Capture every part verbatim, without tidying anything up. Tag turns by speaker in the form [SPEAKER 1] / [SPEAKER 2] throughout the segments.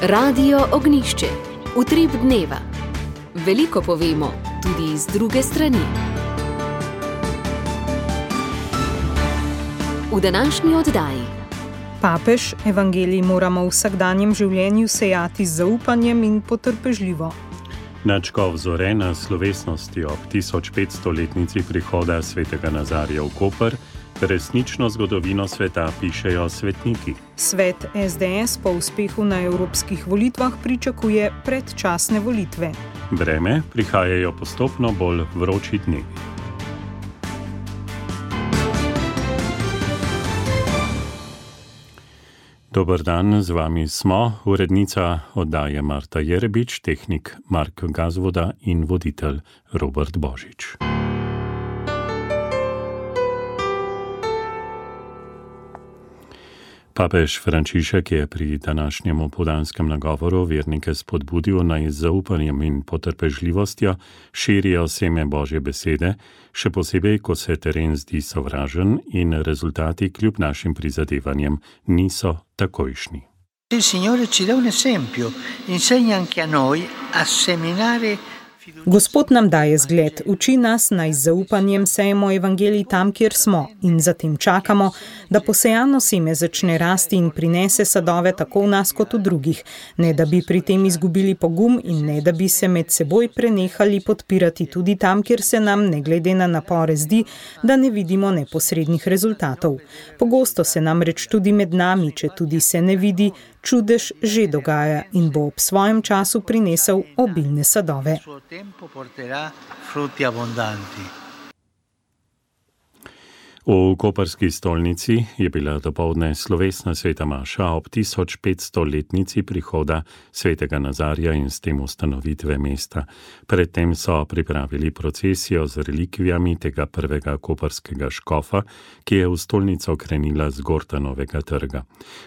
[SPEAKER 1] Radio Ognišče, utrip dneva. Veliko povemo, tudi z druge strani. V današnji oddaji.
[SPEAKER 2] Papež, evangelij moramo v vsakdanjem življenju sejati z zaupanjem in potrpežljivo.
[SPEAKER 3] Nadškof Zore na slovesnosti ob tisoč petstoletnici prihoda svetega Nazarija v Koper resnično zgodovino sveta pišejo svetniki.
[SPEAKER 2] Svet es de es po uspehu na evropskih volitvah pričakuje predčasne volitve.
[SPEAKER 3] Vreme prihajajo postopno bolj vroči dnevi. Dober dan, z vami smo, urednica oddaje Marta Jerebič, tehnik Mark Gazvoda in voditelj Robert Božič. Papež Frančišek je pri današnjem opoldanskem nagovoru vernike spodbudil, naj z zaupanjem in potrpežljivostjo širijo seme Božje besede, še posebej, ko se teren zdi sovražen in rezultati kljub našim prizadevanjem niso takojšnji.
[SPEAKER 4] Il Signore ci dà un esempio, insegna anche a noi a seminare.
[SPEAKER 2] Gospod nam daje zgled, uči nas, naj z zaupanjem sejemo evangelij tam, kjer smo, in zatem čakamo, da posejano seme začne rasti in prinese sadove tako v nas kot v drugih, ne da bi pri tem izgubili pogum in ne da bi se med seboj prenehali podpirati tudi tam, kjer se nam, ne glede na napore, zdi, da ne vidimo neposrednih rezultatov. Pogosto se namreč tudi med nami, če tudi se ne vidi, čudež že dogaja in bo ob svojem času prinesel obilne sadove.
[SPEAKER 3] V koprski stolnici je bila dopoldne slovesna sveta maša ob tisoč petstoletnici prihoda svetega Nazarija in s tem ustanovitve mesta. Predtem so pripravili procesijo z relikvijami tega prvega koprskega škofa, ki je v stolnico krenila z Gortanovega trga.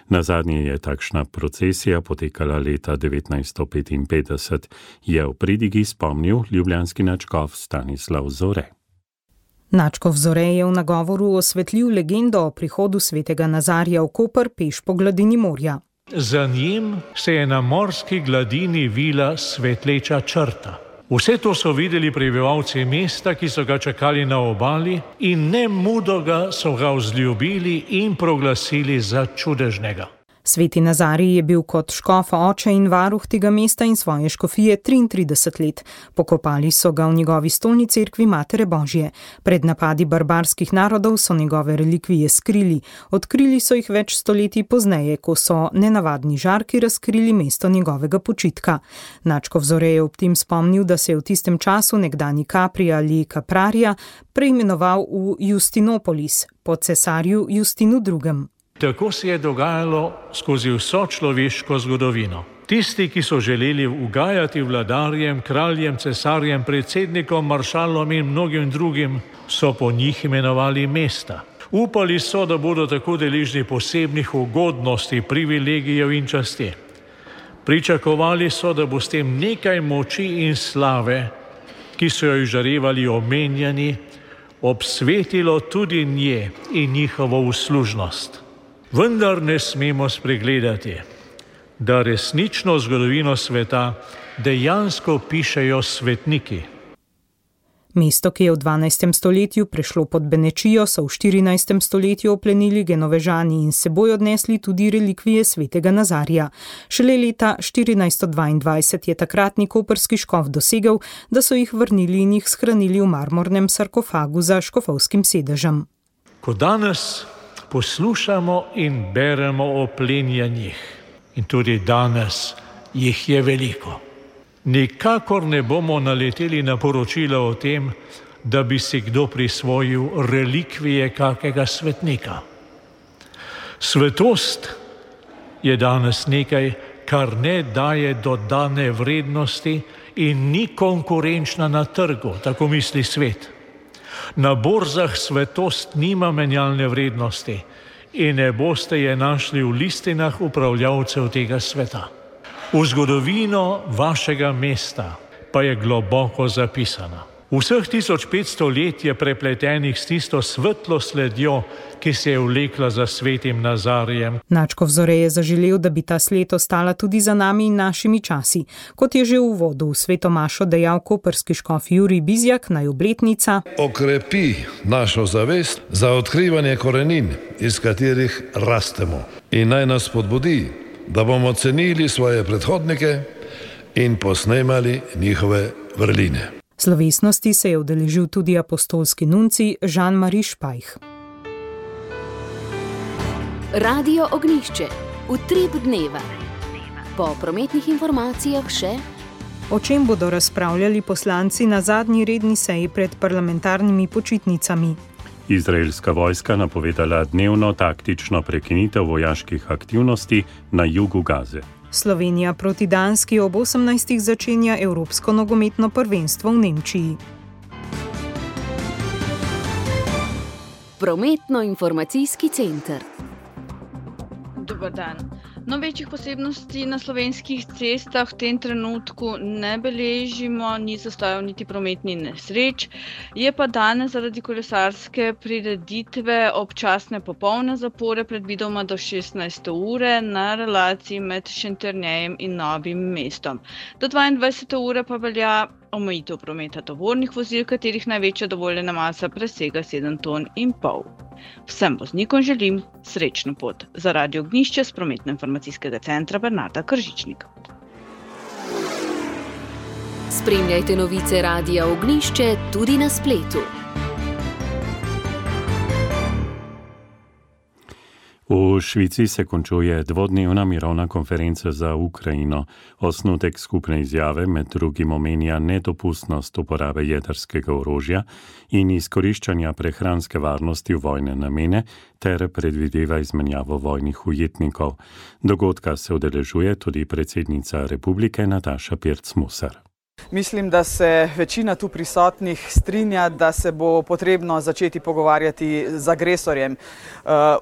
[SPEAKER 3] Nazadnje je takšna procesija potekala leta devetnajststo petinpetdeset, je v pridigi spomnil ljubljanski nadškof Stanislav Zore.
[SPEAKER 2] Nadškof Zore je v nagovoru osvetlil legendo o prihodu svetega Nazarija v Koper peš po gladini morja.
[SPEAKER 5] Za njim se je na morski gladini vila svetleča črta. Vse to so videli prebivalci mesta, ki so ga čakali na obali, in nemudoga so ga vzljubili in proglasili za čudežnega.
[SPEAKER 2] Sveti Nazarij je bil kot škof oče in varuh tega mesta in svoje škofije triintrideset let. Pokopali so ga v njegovi stolni cerkvi Matere Božje. Pred napadi barbarskih narodov so njegove relikvije skrili. Odkrili so jih več stoletij pozneje, ko so nenavadni žarki razkrili mesto njegovega počitka. Nadškof Zore je ob tem spomnil, da se je v tistem času nekdani Capri ali Capraria preimenoval v Justinopolis, po cesarju Justinu drugem.
[SPEAKER 5] Tako se je dogajalo skozi vso človeško zgodovino. Tisti, ki so želeli ugajati vladarjem, kraljem, cesarjem, predsednikom, maršalom in mnogim drugim, so po njih imenovali mesta. Upali so, da bodo tako deležni posebnih ugodnosti, privilegijev in časti. Pričakovali so, da bo s tem nekaj moči in slave, ki so jo izžarevali omenjeni, obsvetilo tudi nje in njihovo uslužnost. Vendar ne smemo spregledati, da resnično zgodovino sveta dejansko pišejo svetniki.
[SPEAKER 2] Mesto, ki je v dvanajstem stoletju prešlo pod Benečijo, so v štirinajstem stoletju oplenili Genovežani in s seboj odnesli tudi relikvije svetega Nazarija. Šele leta štirinajststo dvaindvajset je takratni koprski škof dosegel, da so jih vrnili in jih shranili v marmornem sarkofagu za škofovskim sedežem.
[SPEAKER 5] Ko danes poslušamo in beremo o plenjanjih, in tudi danes jih je veliko. Nikakor ne bomo naleteli na poročila o tem, da bi si kdo prisvojil relikvije kakega svetnika. Svetost je danes nekaj, kar ne daje dodane vrednosti in ni konkurenčna na trgu, tako misli svet. Na borzah svetost nima menjalne vrednosti in ne boste je našli v listinah upravljavcev tega sveta. V zgodovino vašega mesta pa je globoko zapisana. Vseh tisoč petsto let je prepletenih s tisto svetlo sledjo, ki se je vlekla za svetim Nazarijem.
[SPEAKER 2] Načkov Zore je zaželel, da bi ta sled ostala tudi za nami in našimi časi. Kot je že v uvodu v sveto mašo dejal koprski škof Jurij Bizjak, naj obletnica
[SPEAKER 6] okrepi našo zavest za odkrivanje korenin, iz katerih rastemo, in naj nas spodbudi, da bomo cenili svoje predhodnike in posnemali njihove vrline.
[SPEAKER 2] Slovesnosti se je udeležil tudi apostolski nunci Jean-Marie Špajh.
[SPEAKER 1] Radio Ognjišče. Utrip dneva. Po prometnih informacijah še:
[SPEAKER 2] o čem bodo razpravljali poslanci na zadnji redni seji pred parlamentarnimi počitnicami.
[SPEAKER 3] Izraelska vojska napovedala dnevno taktično prekinitev vojaških aktivnosti na jugu Gaze.
[SPEAKER 2] Slovenija proti Danski ob osemnajstih začenja Evropsko nogometno prvenstvo v Nemčiji.
[SPEAKER 1] Prometno-informacijski center.
[SPEAKER 7] Dober dan. No, večjih posebnosti na slovenskih cestah v tem trenutku ne beležimo, ni zastojev niti prometni nesreč. Je pa danes zaradi kolesarske prireditve občasne popolne zapore predvidoma do šestnajste ure na relaciji med Šentjernejem in Novim mestom. Do dvaindvajsete ure pa velja omejitev prometa tovornih vozil, katerih največja dovoljena masa presega sedem ton in pol. Vsem voznikom želim srečno pot. Za Radio Ognjišče s prometno-informacijskega centra Bernarda Kržičnik.
[SPEAKER 1] Spremljajte novice Radia Ognjišče tudi na spletu.
[SPEAKER 3] V Švici se končuje dvodnevna mirovna konferenca za Ukrajino. Osnutek skupne izjave med drugim omenja nedopustnost uporabe jedrskega orožja in izkoriščanja prehranske varnosti v vojne namene ter predvideva izmenjavo vojnih ujetnikov. Dogodka se udeležuje tudi predsednica republike Nataša Pirc-Musar.
[SPEAKER 8] Mislim, da se večina tu prisotnih strinja, da se bo potrebno začeti pogovarjati z agresorjem.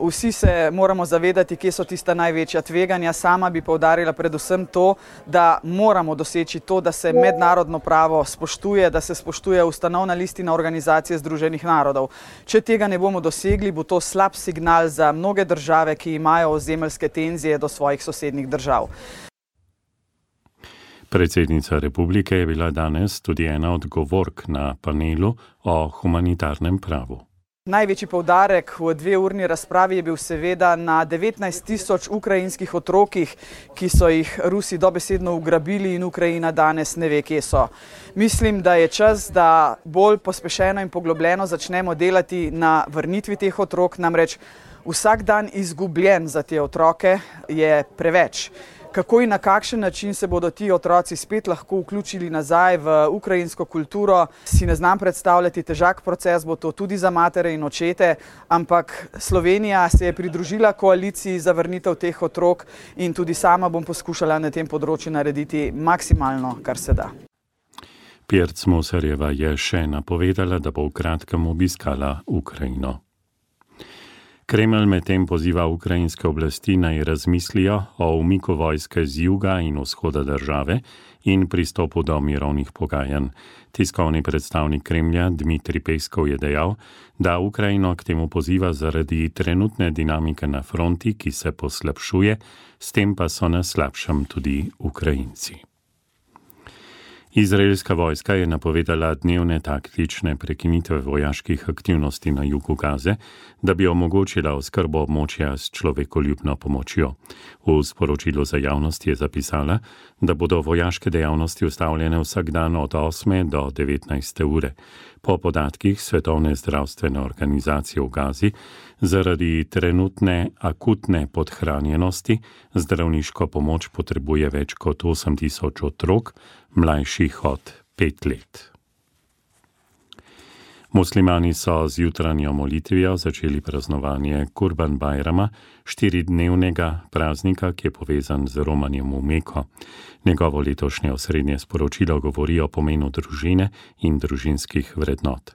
[SPEAKER 8] Vsi se moramo zavedati, kje so tista največja tveganja. Sama bi poudarila predvsem to, da moramo doseči to, da se mednarodno pravo spoštuje, da se spoštuje ustanovna listina Organizacije združenih narodov. Če tega ne bomo dosegli, bo to slab signal za mnoge države, ki imajo ozemeljske tenzije do svojih sosednjih držav.
[SPEAKER 3] Predsednica republike je bila danes tudi ena od govork na panelu o humanitarnem pravu.
[SPEAKER 8] Največji poudarek v dveurni razpravi je bil seveda na devetnajst tisoč ukrajinskih otrokih, ki so jih Rusi dobesedno ugrabili in Ukrajina danes ne ve, kje so. Mislim, da je čas, da bolj pospešeno in poglobljeno začnemo delati na vrnitvi teh otrok, namreč vsak dan izgubljen za te otroke je preveč. Kako in na kakšen način se bodo ti otroci spet lahko vključili nazaj v ukrajinsko kulturo, si ne znam predstavljati. Težak proces bo to tudi za matere in očete, ampak Slovenija se je pridružila koaliciji za vrnitev teh otrok in tudi sama bom poskušala na tem področju narediti maksimalno, kar se da.
[SPEAKER 3] Pirc-Musarjeva je še napovedala, da bo v kratkem obiskala Ukrajino. Kremelj medtem poziva ukrajinske oblasti naj razmislijo o umiku vojske z juga in vzhoda države in pristopu do mirovnih pogajanj. Tiskovni predstavnik Kremlja Dmitrij Peskov je dejal, da Ukrajino k temu poziva zaradi trenutne dinamike na fronti, ki se poslabšuje, s tem pa so na slabšem tudi Ukrajinci. Izraelska vojska je napovedala dnevne taktične prekinitve vojaških aktivnosti na jugu Gaze, da bi omogočila oskrbo območja s človekoljubno pomočjo. V sporočilu za javnost je zapisala, da bodo vojaške dejavnosti ustavljene vsak dan od osme do devetnajste ure. Po podatkih Svetovne zdravstvene organizacije v Gazi zaradi trenutne akutne podhranjenosti zdravniško pomoč potrebuje več kot osem tisoč otrok, mlajših od pet let. Muslimani so z jutranjo molitvijo začeli praznovanje Kurban Bajrama, štiridnevnega praznika, ki je povezan z romanjem v Meko. Njegovo letošnje osrednje sporočilo govori o pomenu družine in družinskih vrednot.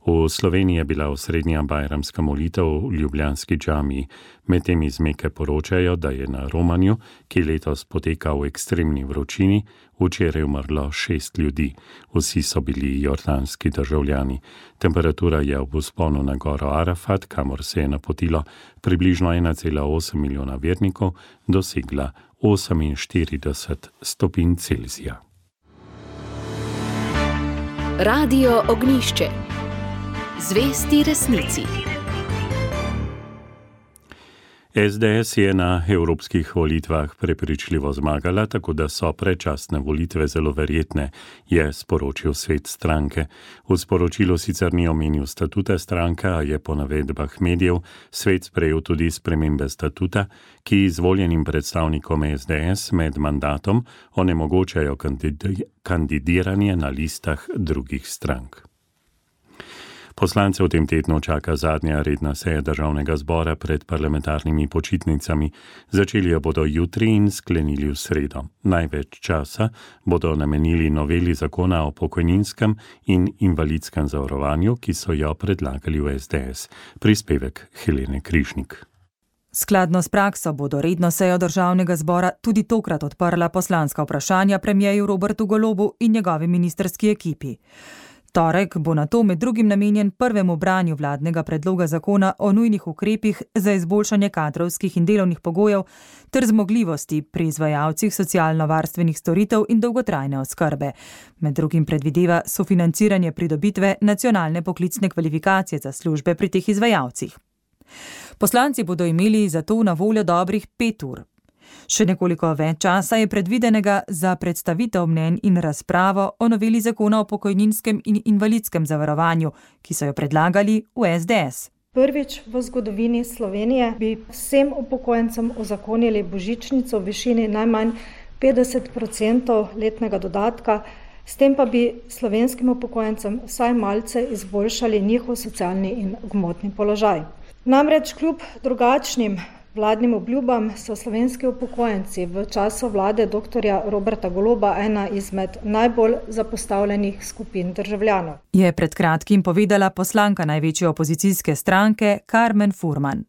[SPEAKER 3] V Sloveniji je bila osrednja bajramska molitev v ljubljanski džamiji. Medtem iz Meke poročajo, da je na romanju, ki letos poteka v ekstremni vročini, včeraj umrlo šest ljudi. Vsi so bili jordanski državljani. Temperatura je v vzponu na goro Arafat, kamor se je napotilo približno ena cela osem milijona vernikov, dosegla oseminštirideset stopinj Celzija.
[SPEAKER 1] Radio Ognjišče. Zvesti resnici.
[SPEAKER 3] es de es je na evropskih volitvah prepričljivo zmagala, tako da so predčasne volitve zelo verjetne, je sporočil svet stranke. V sporočilu sicer ni omenil statuta stranke, a je po navedbah medijev svet sprejel tudi spremembe statuta, ki izvoljenim predstavnikom es de es med mandatom onemogočajo kandidiranje na listah drugih strank. Poslance v tem tednu čaka zadnja redna seja državnega zbora pred parlamentarnimi počitnicami. Začeli jo bodo jutri in sklenili v sredo. Največ časa bodo namenili noveli zakona o pokojninskem in invalidskem zavarovanju, ki so jo predlagali v es de es. Prispevek Helene Križnik.
[SPEAKER 9] Skladno s prakso bodo redno sejo državnega zbora tudi tokrat odprla poslanska vprašanja premierju Robertu Golobu in njegovi ministrski ekipi. Torek bo nato med drugim namenjen prvemu branju vladnega predloga zakona o nujnih ukrepih za izboljšanje kadrovskih in delovnih pogojev ter zmogljivosti pri izvajalcih socialno-varstvenih storitev in dolgotrajne oskrbe. Med drugim predvideva sofinanciranje pridobitve nacionalne poklicne kvalifikacije za službe pri teh izvajalcih. Poslanci bodo imeli zato na voljo dobrih pet ur. Še nekoliko več časa je predvidenega za predstavitev mnenj in razpravo o noveli zakona o pokojninskem in invalidskem zavarovanju, ki so jo predlagali v es de es.
[SPEAKER 10] Prvič v zgodovini Slovenije bi vsem upokojencem uzakonili božičnico v višini najmanj petdeset procentov letnega dodatka, s tem pa bi slovenskim upokojencem vsaj malce izboljšali njihov socialni in gmotni položaj. Namreč kljub drugačnim vladnim obljubam so slovenski upokojenci v času vlade doktorja Roberta Goloba ena izmed najbolj zapostavljenih skupin državljanov.
[SPEAKER 9] Je pred kratkim povedala poslanka največje opozicijske stranke Karmen Furman.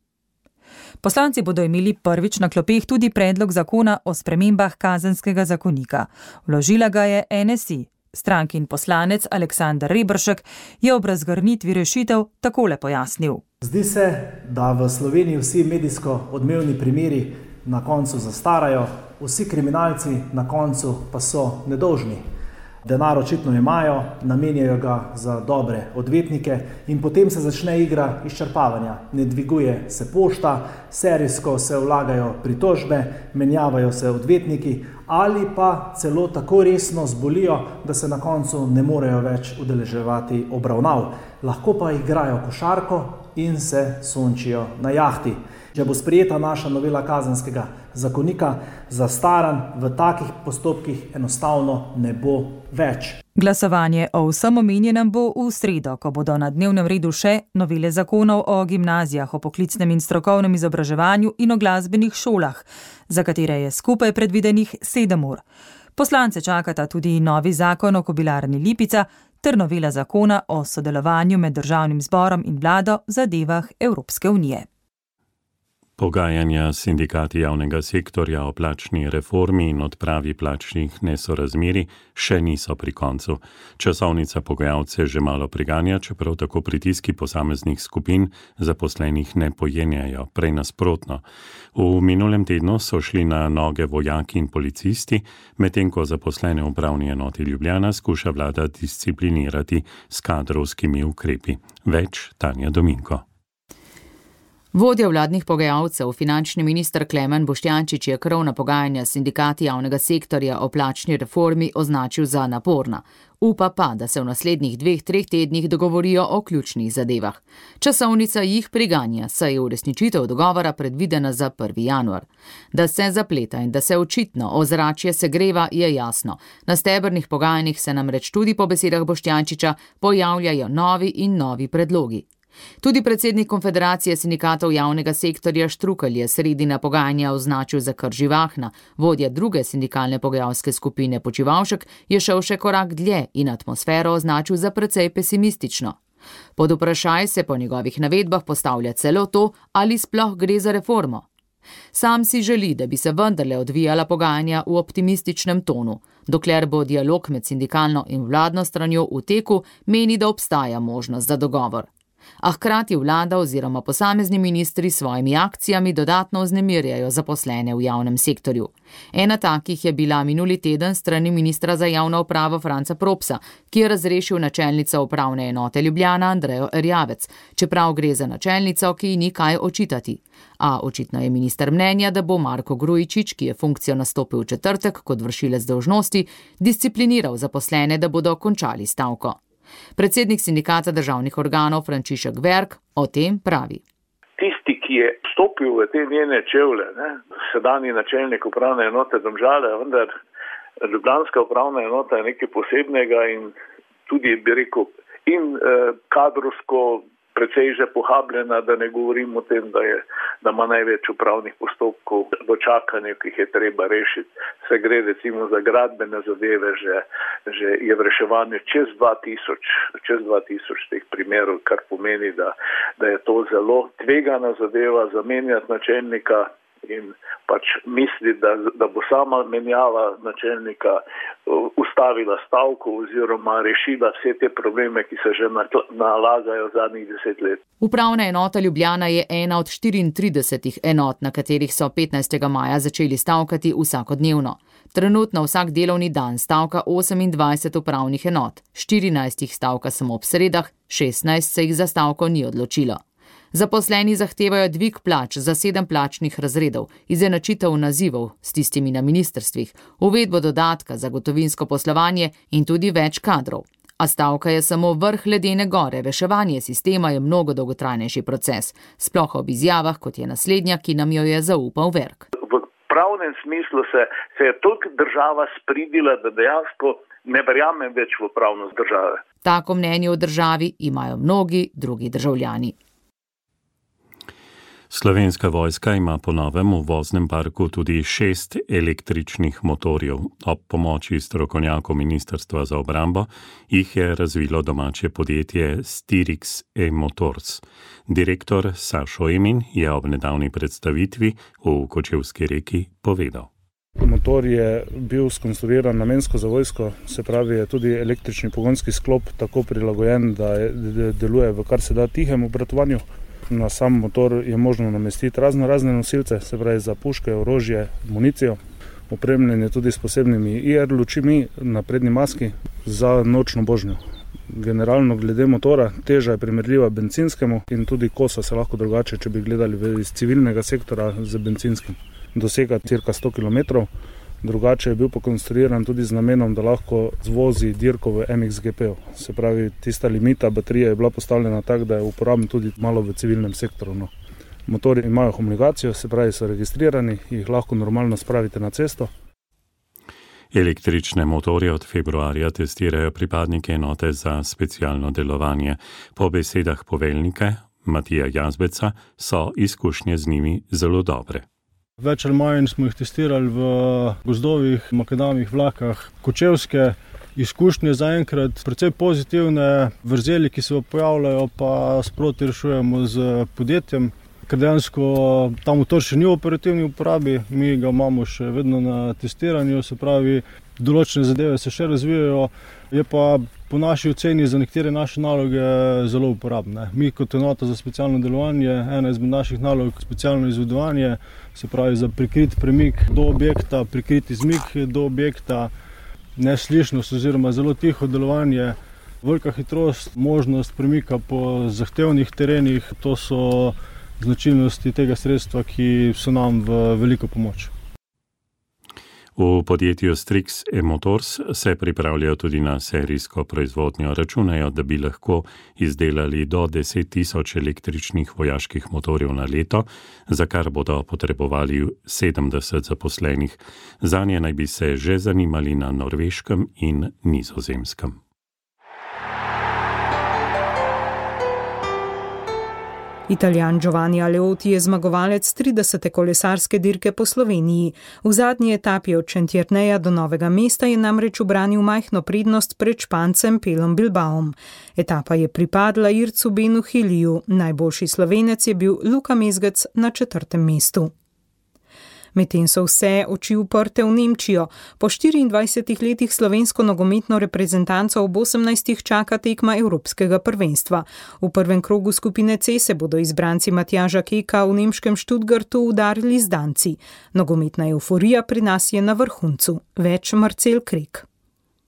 [SPEAKER 9] Poslanci bodo imeli prvič na klopeh tudi predlog zakona o spremembah kazenskega zakonika. Vložila ga je en es i. Strankin poslanec Aleksander Reberšek je ob razgrnitvi rešitev takole pojasnil.
[SPEAKER 11] Zdi se, da v Sloveniji vsi medijsko odmevni primeri na koncu zastarajo, vsi kriminalci na koncu pa so nedolžni. Denar očitno imajo, namenjajo ga za dobre odvetnike in potem se začne igra izčrpavanja. Ne dviguje se pošta, serijsko se vlagajo pritožbe, menjavajo se odvetniki ali pa celo tako resno zbolijo, da se na koncu ne morejo več udeleževati obravnav. Lahko pa igrajo košarko in se sončijo na jahti. Če bo sprejeta naša novela kazenskega zakonika, zastaranj v takih postopkih enostavno ne bo več.
[SPEAKER 9] Glasovanje o vsem omenjenem bo v sredo, ko bodo na dnevnem redu še novele zakonov o gimnazijah, o poklicnem in strokovnem izobraževanju in o glasbenih šolah, za katere je skupaj predvidenih sedem ur. Poslance čakata tudi novi zakon o kobilarni Lipica ter novela zakona o sodelovanju med državnim zborom in vlado v zadevah Evropske unije.
[SPEAKER 3] Pogajanja s sindikati javnega sektorja o plačni reformi in odpravi plačnih nesorazmerij še niso pri koncu. Časovnica pogajalce že malo priganja, čeprav tako pritiski posameznih skupin zaposlenih ne pojenjajo, prej nasprotno. V minulem tednu so šli na noge vojaki in policisti, medtem ko zaposlene v upravni enoti Ljubljana skuša vlada disciplinirati s kadrovskimi ukrepi. Več Tanja Dominko.
[SPEAKER 12] Vodja vladnih pogajalcev, finančni minister Klemen Boštjančič je krovna pogajanja s sindikati javnega sektorja o plačni reformi označil za naporna. Upa pa, da se v naslednjih dveh, treh tednih dogovorijo o ključnih zadevah. Časovnica jih priganja, saj je uresničitev dogovora predvidena za prvi januar. Da se zapleta in da se očitno ozračje segreva, je jasno. Na stebrnih pogajanjih se namreč tudi po besedah Boštjančiča pojavljajo novi in novi predlogi. Tudi predsednik Konfederacije sindikatov javnega sektorja Štrukelj je sredina pogajanja označil za kar živahna. Vodja druge sindikalne pogajalske skupine Počivalšek je šel še korak dlje in atmosfero označil za precej pesimistično. Pod vprašaj se po njegovih navedbah postavlja celo to, ali sploh gre za reformo. Sam si želi, da bi se vendarle odvijala pogajanja v optimističnem tonu. Dokler bo dialog med sindikalno in vladno stranjo v teku, meni, da obstaja možnost za dogovor. A hkrati vlada oziroma posamezni ministri s svojimi akcijami dodatno vznemirjajo zaposlene v javnem sektorju. Ena takih je bila minuli teden strani ministra za javno upravo Franca Propsa, ki je razrešil načelnico upravne enote Ljubljana Andrejo Erjavec, čeprav gre za načelnico, ki ji ni kaj očitati. A očitno je minister mnenja, da bo Marko Grujičič, ki je funkcijo nastopil v četrtek kot vršilec dolžnosti, discipliniral zaposlene, da bodo končali stavko. Predsednik sindikata državnih organov Frančišek Verk o tem pravi.
[SPEAKER 13] Tisti, ki je vstopil v te njene čevlje, ne, sedanji načelnik upravne enote Domžale, vendar ljubljanska upravna enota je nekaj posebnega in tudi, bi rekel, in eh, kadrovsko precej že pohabljena, da ne govorim o tem, da, je, da ima največ upravnih postopkov v čakanju, ki jih je treba rešiti. Se gre recimo za gradbene zadeve, že, že je v reševanju čez dva tisoč, čez dva tisoč teh primerov, kar pomeni, da, da je to zelo tvegana zadeva zamenjati načelnika in pač misli, da, da bo sama menjava načelnika ustavila stavko oziroma rešila vse te probleme, ki se že nalagajo zadnjih deset let.
[SPEAKER 12] Upravna enota Ljubljana je ena od štiriintridesetih enot, na katerih so petnajstega maja začeli stavkati vsakodnevno. Trenutno vsak delovni dan stavka osemindvajset upravnih enot, štirinajst jih stavka samo ob sredah, šestnajst se jih za stavko ni odločilo. Zaposleni zahtevajo dvig plač za sedem plačnih razredov, izenačitev nazivov s tistimi na ministrstvih, uvedbo dodatka za gotovinsko poslovanje in tudi več kadrov. A stavka je samo vrh ledene gore, reševanje sistema je mnogo dolgotrajnejši proces, sploh ob izjavah, kot je naslednja, ki nam jo je zaupal Verk.
[SPEAKER 13] V pravnem smislu se, se je toliko država spridila, da dejansko ne verjamem več v pravnost države.
[SPEAKER 12] Tako mnenje o državi imajo mnogi drugi državljani.
[SPEAKER 3] Slovenska vojska ima po novem v voznem parku tudi šest električnih motorjev. Ob pomoči strokovnjakov Ministrstva za obrambo jih je razvilo domače podjetje Styrix E-Motors. Direktor Sašo Emin je ob nedavni predstavitvi v Kočevski Reki povedal.
[SPEAKER 14] Motor je bil skonstruiran namensko za vojsko, se pravi je tudi električni pogonski sklop tako prilagojen, da deluje v kar se da tihem obratovanju. Na sam motor je možno namestiti razno razne nosilce, se pravi za puške, orožje, municijo. Opremljen je tudi s posebnimi I R lučmi na prednji maski za nočno božnjo. Generalno glede motora, teža je primerljiva bencinskemu in tudi kosa se lahko drugače, če bi gledali iz civilnega sektora z benzinskim. Dosega cirka sto kilometrov, drugače je bil pokonstruiran tudi z namenom, da lahko zvozi dirko v M X G P-u. Se pravi, tista limita baterije je bila postavljena tako, da je uporaben tudi malo v civilnem sektoru. No. Motori imajo homologacijo, se pravi, so registrirani, jih lahko normalno spravite na cesto.
[SPEAKER 3] Električne motorje od februarja testirajo pripadnike enote za specialno delovanje. Po besedah poveljnika Matija Jazbeca so izkušnje z njimi zelo dobre.
[SPEAKER 15] Več ali manj smo jih testirali v gozdovih, makadamih, vlakah, kočevske izkušnje zaenkrat, precej pozitivne vrzeli, ki se pojavljajo, pa sproti rešujemo z podjetjem, ker dejansko ta motor še ni v operativni uporabi, mi ga imamo še vedno na testiranju, se pravi, določene zadeve se še razvijajo, je pa po naši oceni za nekatere naše naloge zelo uporabne. Mi kot enota za specialno delovanje, ena izmed naših nalog specialno izvedovanje, se pravi za prikrit premik do objekta, prikrit izmik do objekta, neslišnost oziroma zelo tiho delovanje, velika hitrost, možnost premika po zahtevnih terenih, to so značilnosti tega sredstva, ki so nam v veliko pomoč.
[SPEAKER 3] V podjetju Styrix E-Motors se pripravljajo tudi na serijsko proizvodnjo. Računajo, da bi lahko izdelali do deset tisoč električnih vojaških motorjev na leto, za kar bodo potrebovali sedemdeset zaposlenih. Zanje naj bi se že zanimali na Norveškem in Nizozemskem.
[SPEAKER 2] Italijan Giovanni Aleotti je zmagovalec tridesete kolesarske dirke po Sloveniji. V zadnji etapi od Šentjerneja do Novega mesta je namreč ubranil majhno prednost pred Špancem Pelom Bilbaom. Etapa je pripadla Ircu Benu Hiliju, najboljši Slovenec je bil Luka Mezgec na četrtem mestu. Medtem so vse oči uprte v Nemčijo. Po štiriindvajsetih letih slovensko nogometno reprezentanco ob osemnajstih čaka tekma Evropskega prvenstva. V prvem krogu skupine C se bodo izbranci Matjaža Keka v nemškem Stuttgartu udarili z Danci. Nogometna evforija pri nas je na vrhuncu. Več Marcel Krek.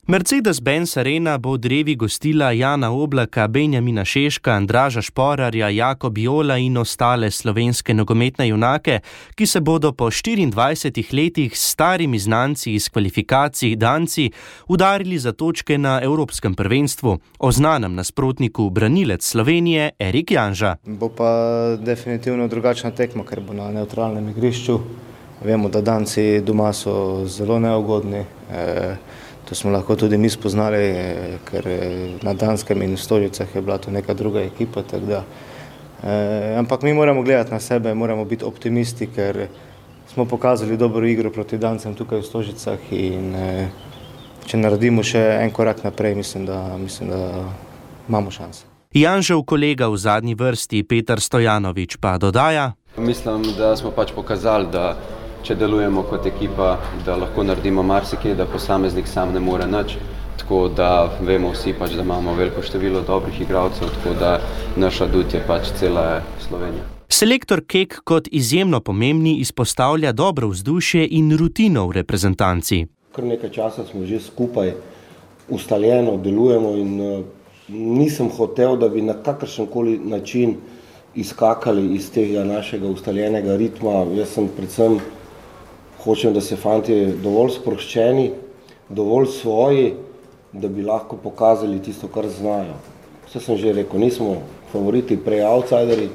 [SPEAKER 16] Mercedes-Benz Arena bo v drevi gostila Jana Oblaka, Benjamina Šeška, Andraža Šporarja, Jakob Jola in ostale slovenske nogometne junake, ki se bodo po štiriindvajsetih letih s starimi znanci iz kvalifikacij Danci udarili za točke na Evropskem prvenstvu. O znanem nasprotniku branilec Slovenije Erik Janža.
[SPEAKER 17] Bo pa definitivno drugačna tekma, ker bo na nevtralnem igrišču. Vemo, da Danci doma so zelo neugodni. E, To smo lahko tudi mi spoznali, ker na Danskem in v Stožicah je bila to neka druga ekipa. Tak da, eh, ampak mi moramo gledati na sebe, moramo biti optimisti, ker smo pokazali dobro igro proti Dancem tukaj v Stožicah in eh, če naredimo še en korak naprej, mislim, da, mislim, da imamo šanse.
[SPEAKER 16] Janžev kolega v zadnji vrsti Petar Stojanovič pa dodaja:
[SPEAKER 18] Mislim, da smo pač pokazali, da če delujemo kot ekipa, da lahko naredimo marsikaj, da posameznik sam ne more nič. Tako da vemo vsi pač, da imamo veliko število dobrih igralcev, tako da naš adut je pač cela Slovenija.
[SPEAKER 16] Selektor Kek kot izjemno pomembni izpostavlja dobro vzdušje in rutino v reprezentanci.
[SPEAKER 19] Kar nekaj časa smo že skupaj ustaljeno delujemo in uh, nisem hotel, da bi na kakršenkoli način izkakali iz tega našega ustaljenega ritma. Jaz sem predvsem hočem, da se fantje dovolj sproščeni, dovolj svoji, da bi lahko pokazali tisto, kar znajo. Vse sem že rekel, nismo favoriti, prej outsideri,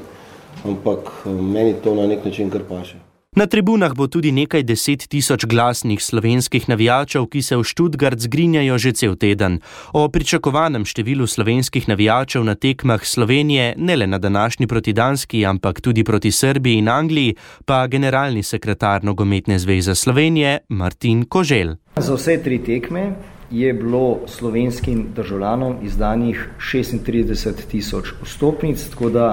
[SPEAKER 19] ampak meni to na nek način kar paše.
[SPEAKER 16] Na tribunah bo tudi nekaj deset tisoč glasnih slovenskih navijačev, ki se v Stuttgart zgrinjajo že cel teden. O pričakovanem številu slovenskih navijačev na tekmah Slovenije, ne le na današnji proti Danski, ampak tudi proti Srbiji in Angliji, pa generalni sekretar Nogometne zveze Slovenije Martin Koželj.
[SPEAKER 20] Za vse tri tekme je bilo slovenskim državljanom izdanih šestintrideset tisoč vstopnic, tako da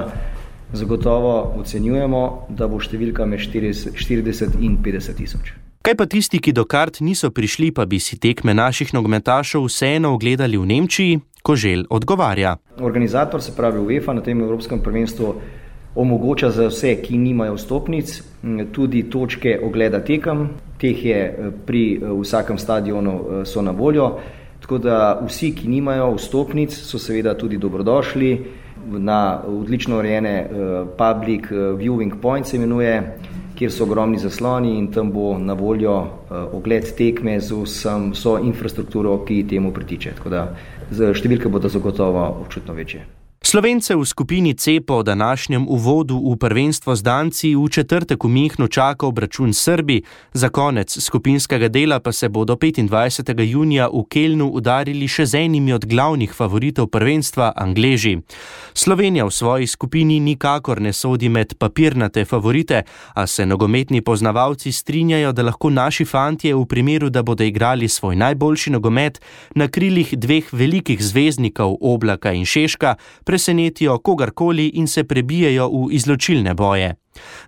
[SPEAKER 20] zagotovo ocenjujemo, da bo številka med štirideset in petdeset tisoč.
[SPEAKER 16] Kaj pa tisti, ki do kart niso prišli, pa bi si tekme naših nogometašev vseeno ogledali v Nemčiji? Koželj odgovarja.
[SPEAKER 20] Organizator, se pravi UEFA, na tem Evropskem prvenstvu omogoča za vse, ki nimajo vstopnic, tudi točke ogleda tekem. Teh je pri vsakem stadionu so na voljo, tako da vsi, ki nimajo vstopnic, so seveda tudi dobrodošli. Na odlično urejene uh, public uh, viewing point se imenuje, kjer so ogromni zasloni in tam bo na voljo uh, ogled tekme z vsem, vso infrastrukturo, ki temu pritiče. Tako da številke bodo zagotovo občutno večje.
[SPEAKER 16] Slovence v skupini C po današnjem uvodu v prvenstvo z Danci v četrtek v Minhnu čaka obračun Srbi, za konec skupinskega dela pa se bodo petindvajsetega junija v Kelnu udarili še z enimi od glavnih favoritov prvenstva, Angleži. Slovenija v svoji skupini nikakor ne sodi med papirnate favorite, a se nogometni poznavalci strinjajo, da lahko naši fantje v primeru, da bodo igrali svoj najboljši nogomet na krilih dveh velikih zvezdnikov Oblaka in Šeška, presenetijo kogarkoli in se prebijejo v izločilne boje.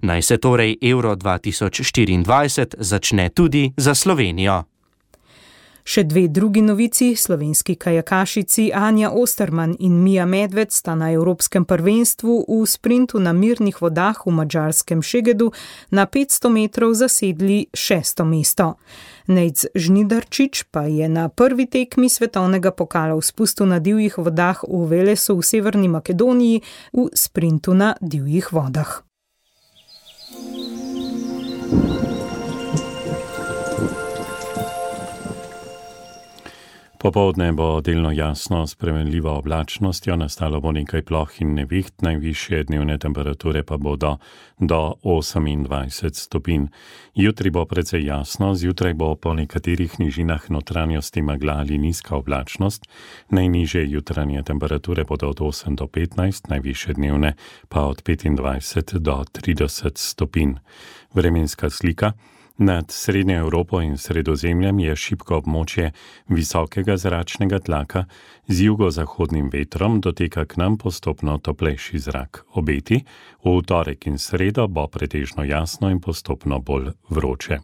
[SPEAKER 16] Naj se torej Euro dva tisoč štiriindvajset začne tudi za Slovenijo.
[SPEAKER 2] Še dve drugi novici, slovenski kajakašici Anja Osterman in Mija Medved sta na Evropskem prvenstvu v sprintu na mirnih vodah v madžarskem Šegedu na petsto metrov zasedli šesto mesto. Nejc Žnidarčič pa je na prvi tekmi svetovnega pokala v spustu na divjih vodah v Velesu v Severni Makedoniji v sprintu na divjih vodah.
[SPEAKER 3] Popoldne bo delno jasno s spremenljivo oblačnostjo, nastalo bo nekaj ploh in neviht, najvišje dnevne temperature pa bodo do osemindvajset stopinj. Jutri bo precej jasno, zjutraj bo po nekaterih nižinah notranjosti megla ali nizka oblačnost, najnižje jutranje temperature bodo od osem do petnajst, najvišje dnevne pa od petindvajset do trideset stopinj. Vremenska slika. Nad Srednjo Evropo in Sredozemljem je šibko območje visokega zračnega tlaka, z jugozahodnim vetrom doteka k nam postopno toplejši zrak. Obeti, v torek in sredo bo pretežno jasno in postopno bolj vroče.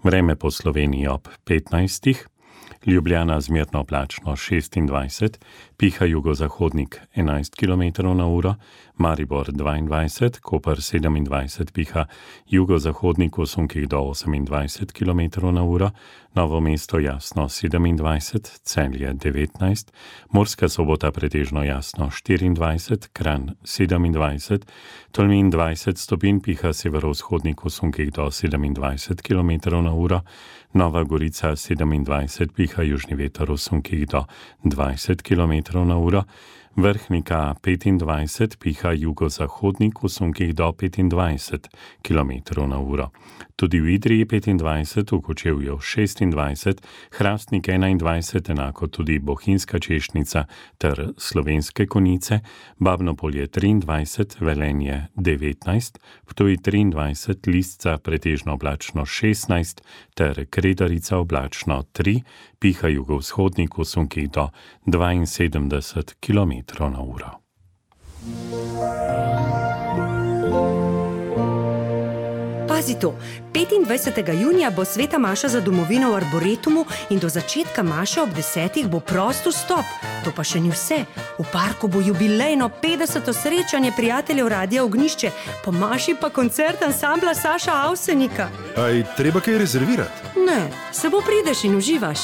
[SPEAKER 3] Vreme po Sloveniji ob petnajstih. Ljubljana zmerno oblačno šestindvajset, piha jugozahodnik enajst kilometrov na uro, Maribor dvaindvajset, Koper sedemindvajset, piha jugozahodnik v sunkih do osemindvajset kilometrov na uro, Novo mesto jasno sedemindvajset, Celje devetnajst, Murska Sobota pretežno jasno štiriindvajset, Kranj sedemindvajset, Tolmin dvajset stopinj, piha severovzhodnik v sunkih do sedemindvajset kilometrov na uro, Nova Gorica sedemindvajset, piha južni veter v sunkih do dvajset kilometrov na uro, Vrhnika petindvajset, piha jugozahodnik v sunkih do petindvajset kilometrov na uro. Tudi v Idriji petindvajset, v Kočevju šestindvajset, Hrastnik enaindvajset, enako tudi Bohinjska Češnica ter Slovenske Konjice, Babnopolje triindvajset, Velenje devetnajst, Ptuj triindvajset, Lisca pretežno oblačno šestnajst ter Kredarica oblačno tri, piha jugovzhodnik v sunkih do dvainsedemdeset kilometrov na uro.
[SPEAKER 21] Pazi to, petindvajsetega junija bo sveta maša za domovino v Arboretumu in do začetka maše ob desetih bo prost vstop. To pa še ni vse. V parku bo jubilejno petdeseto srečanje prijateljev Radia Ognjišče, po maši pa koncert ansambla Saša Avsenika.
[SPEAKER 22] Aj treba kaj rezervirati?
[SPEAKER 21] Ne, samo prideš in uživaš.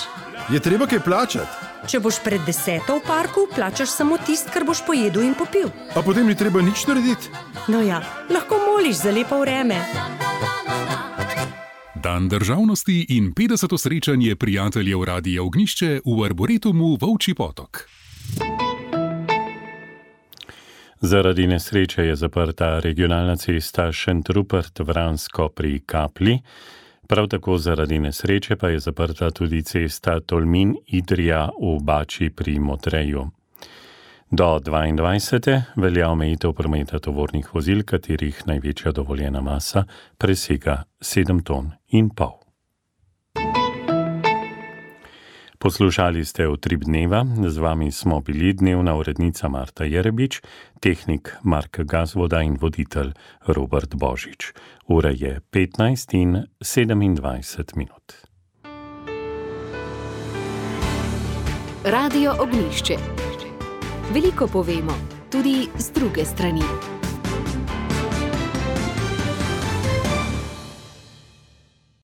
[SPEAKER 22] Je treba kaj plačati?
[SPEAKER 21] Če boš pred deseto v parku, plačaš samo tist, kar boš pojedel in popil.
[SPEAKER 22] A potem ni treba nič narediti?
[SPEAKER 21] No ja, lahko moliš za lepo vreme.
[SPEAKER 23] Dan državnosti in petdeseto srečanje prijateljev Radia Ognjišče v Arboretumu Volčji Potok.
[SPEAKER 3] Zaradi nesreče je zaprta regionalna cesta Šentrupert-Vransko pri Kapli. Prav tako zaradi nesreče pa je zaprta tudi cesta Tolmin-Idrija v Bači pri Motreju. Do dvaindvajsete velja omejitev prometa tovornih vozil, katerih največja dovoljena masa presega sedem ton in pol. Poslušali ste Utrip dneva, z vami smo bili dnevna urednica Marta Jerebič, tehnik Mark Gazvoda in voditelj Robert Božič. Ura je petnajst in sedemindvajset minut.
[SPEAKER 1] Radio Ognjišče. Veliko povemo, tudi z druge strani.